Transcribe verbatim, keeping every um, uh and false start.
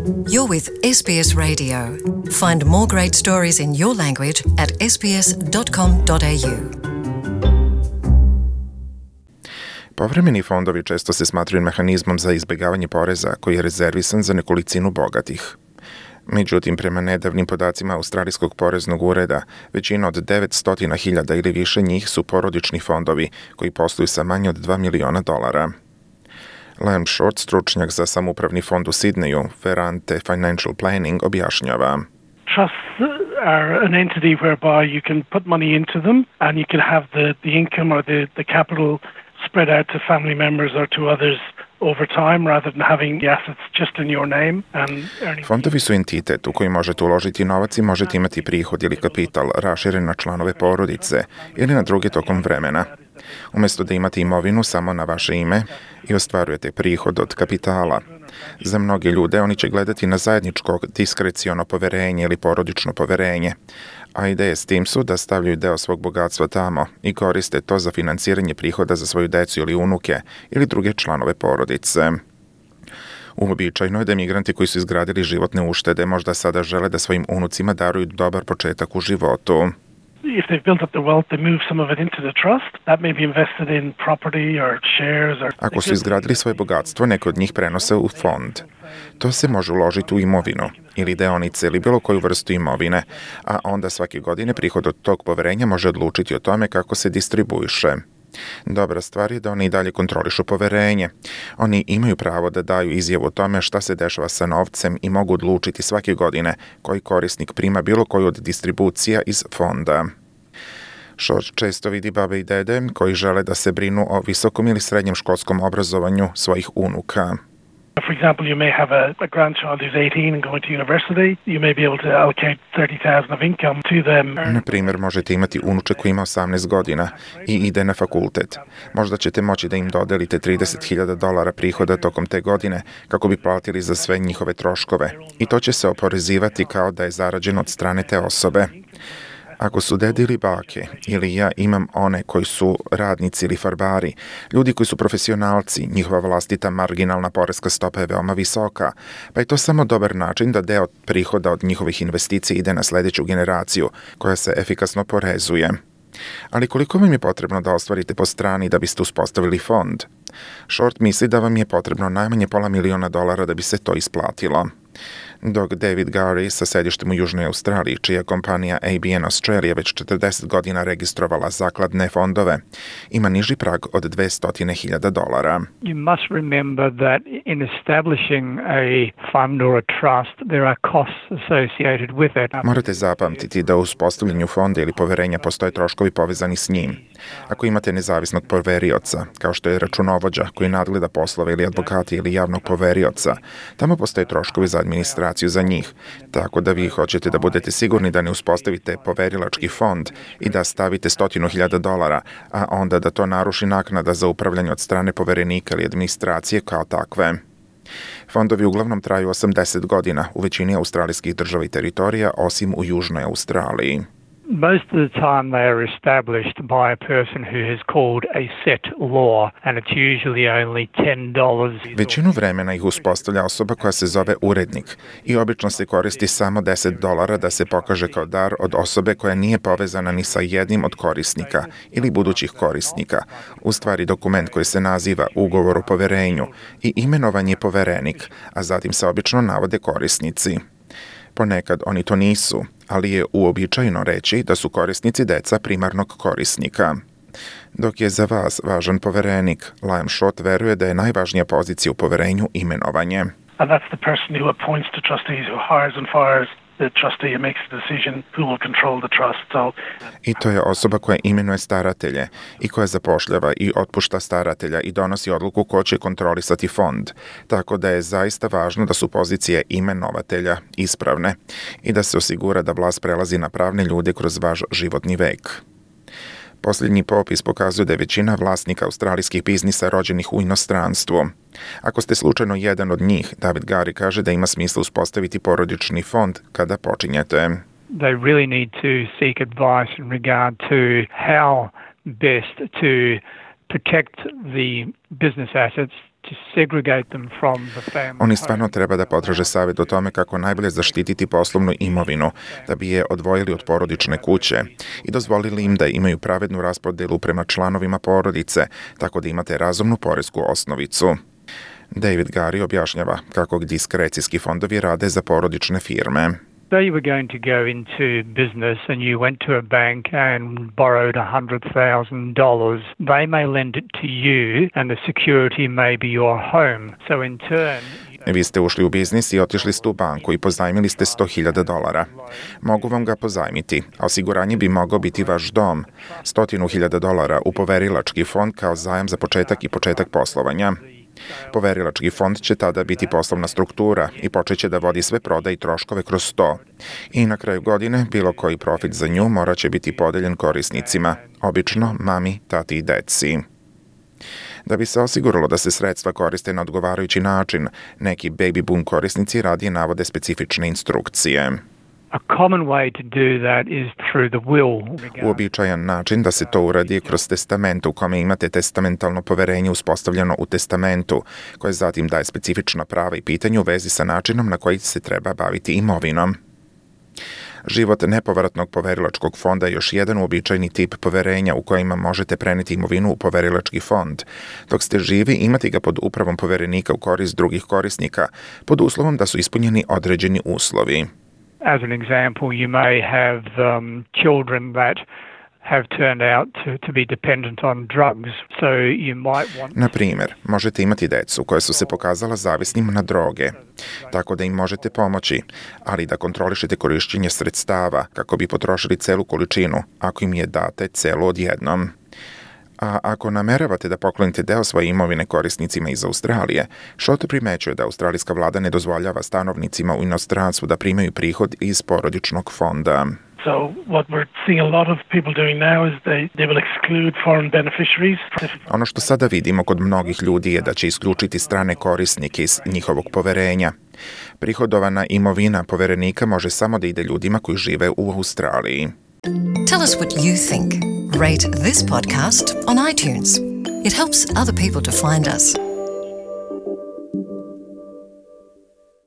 You're with S B S Radio. Find more great stories in your language at s b s dot com dot a u. Povremeni fondovi često se smatraju mehanizmom za izbjegavanje poreza koji je rezervisan za nekolicinu bogatih. Međutim, prema nedavnim podacima Australijskog poreznog ureda, većina od devetsto hiljada ili više njih su porodični fondovi koji posluju sa manje od dva miliona dolara. Liam Short, stručnjak za samoupravni fond u Sidneju, Ferrante Financial Planning, objašnjava. Trusts are an entity whereby you can put money into them and you can have the, the income or the, the capital spread out to family members or to others over time rather than having the assets just in your name and earning. Fondovi su entitet u koji možete uložiti novac i možete imati prihod ili kapital raširen na članove porodice ili na druge tokom vremena. Umjesto da imate imovinu samo na vaše ime i ostvarujete prihod od kapitala. Za mnoge ljude oni će gledati na zajedničko diskreciono poverenje ili porodično poverenje, a ideje s tim su da stavljaju deo svog bogatstva tamo i koriste to za financiranje prihoda za svoju decu ili unuke ili druge članove porodice. Uobičajeno je da migranti koji su izgradili životne uštede možda sada žele da svojim unucima daruju dobar početak u životu. If they've built up their wealth, they move some of it into the trust. That may be invested in property or shares or... Ako su izgradili svoje bogatstvo, neko od njih prenose u fond. To se može uložiti u imovinu ili deonice ili bilo koju vrstu imovine, a onda svake godine prihod od tog poverenja može odlučiti o tome kako se distribuiše. Dobra stvar je da oni i dalje kontrolišu poverenje. Oni imaju pravo da daju izjavu o tome šta se dešava sa novcem i mogu odlučiti svake godine koji korisnik prima bilo koju od distribucija iz fonda. Short često vidi babe i dede koji žele da se brinu o visokom ili srednjem školskom obrazovanju svojih unuka. For example, you may have a, a grandchild who's eighteen and going to university. You may be able to allocate thirty thousand of income to them. Na primjer, možete imati unuče koji ima osamnaest godina i ide na fakultet. Možda ćete moći da im dodelite trideset hiljada dolara prihoda tokom te godine kako bi platili za sve njihove troškove. I to će se oporezivati kao da je zarađeno od strane te osobe. Ako su dede ili bake, ili ja imam one koji su radnici ili farbari, ljudi koji su profesionalci, njihova vlastita marginalna poreska stopa je veoma visoka, pa je to samo dobar način da deo prihoda od njihovih investicija ide na sljedeću generaciju, koja se efikasno porezuje. Ali koliko vam je potrebno da ostvarite po strani da biste uspostavili fond? Short misli da vam je potrebno najmanje pola miliona dolara da bi se to isplatilo. Dok David Gary sa sedištem u Južnoj Australiji, čija kompanija A B N Australia već četrdeset godina registrovala zakladne fondove, ima niži prag od dvesta hiljada dolara. You must remember that in establishing a fund or a trust, there are costs associated with it. Morate zapamtiti da u uspostavljanju fonda ili poverenja postoje troškovi povezani s njim. Ako imate nezavisnog poverioca, kao što je računovođa koji nadgleda poslove ili advokati ili javnog poverioca, tamo postoje troškovi za administraciju za njih, tako da vi hoćete da budete sigurni da ne uspostavite poverilački fond i da stavite stotinu hiljada dolara, a onda da to naruši naknada za upravljanje od strane poverenika ili administracije kao takve. Fondovi uglavnom traju osamdeset godina u većini australijskih država i teritorija, osim u Južnoj Australiji. Most of the time they are established by a person who has called a set law, and it's usually only ten dollars. Većinu vremena ih uspostavlja osoba koja se zove urednik i obično se koristi samo deset dolara da se pokaže kao dar od osobe koja nije povezana ni sa jednim od korisnika ili budućih korisnika. U stvari dokument koji se naziva ugovor o poverenju i imenovan je poverenik, a zatim se obično navode korisnici. Ponekad oni to nisu, ali je uobičajeno reći da su korisnici deca primarnog korisnika. Dok je za vas važan poverenik, Liam Short veruje da je najvažnija pozicija u poverenju imenovanje. And that's the person who appoints the trustees, who hires and fires the trustee and makes the decision who will control the trust. So, I to je osoba koja imenuje staratelje i koja zapošljava i otpušta staratelja i donosi odluku ko će kontrolisati fond. Tako da je zaista važno da su pozicije imenovatelja ispravne i da se osigura da vlast prelazi na pravne ljude kroz vaš životni vek. Posljednji popis pokazuje da je većina vlasnika australijskih biznisa rođenih u inostranstvu. Ako ste slučajno jedan od njih, David Gary kaže da ima smisla uspostaviti porodični fond kada počinjete. They really need to seek advice in regard to how best to protect the business assets to segregate them from the family. Oni stvarno treba da potraže savjet o tome kako najbolje zaštititi poslovnu imovinu, da bi je odvojili od porodične kuće i dozvolili im da imaju pravednu raspodelu prema članovima porodice, tako da imate razumnu poresku osnovicu. David Gary objašnjava kako diskrecijski fondovi rade za porodične firme. Say you were going to go into business and you went to a bank and borrowed one hundred thousand dollars. They may lend it to you and the security may be your home. So in turn... Vi ste ušli u biznis i otišli ste u banku i pozajmili ste sto hiljada dolara. Mogu vam ga pozajmiti, a osiguranje bi mogao biti vaš dom. Stotinu hiljada dolara u poverilački fond kao zajam za početak i početak poslovanja. Poverilački fond će tada biti poslovna struktura i počeće da vodi sve prodaje i troškove kroz to. I na kraju godine bilo koji profit za nju morat će biti podeljen korisnicima, obično mami, tati i deci. Da bi se osiguralo da se sredstva koriste na odgovarajući način, neki baby boom korisnici radije navode specifične instrukcije. A common way to do that is through the will. Uobičajen način da se to uradi kroz testament u kome imate testamentalno poverenje uspostavljeno u testamentu, koje zatim daje specifična prava i pitanja u vezi sa načinom na koji se treba baviti imovinom. Život nepovratnog poverilačkog fonda je još jedan uobičajeni tip poverenja u kojima možete preneti imovinu u poverilački fond. Dok ste živi, imati ga pod upravom poverenika u korist drugih korisnika, pod uslovom da su ispunjeni određeni uslovi. As an example, you may have um, children that have turned out to, to be dependent on drugs, so you might want... Na primjer, možete imati decu koje su se pokazala zavisnim na droge, tako da im možete pomoći, ali da kontrolišete korišćenje sredstava kako bi potrošili celu količinu, ako im je date celu odjednom. A ako nameravate da poklonite deo svoje imovine korisnicima iz Australije, Šoto primećuje da australijska vlada ne dozvoljava stanovnicima u inostranstvu da primaju prihod iz porodičnog fonda. So what we're seeing a lot of people doing now is they, they will exclude foreign beneficiaries. Ono što sada vidimo kod mnogih ljudi je da će isključiti strane korisnike iz njihovog poverenja. Prihodovana imovina poverenika može samo da ide ljudima koji žive u Australiji. Tell us what you think. Rate this podcast on iTunes. It helps other people to find us.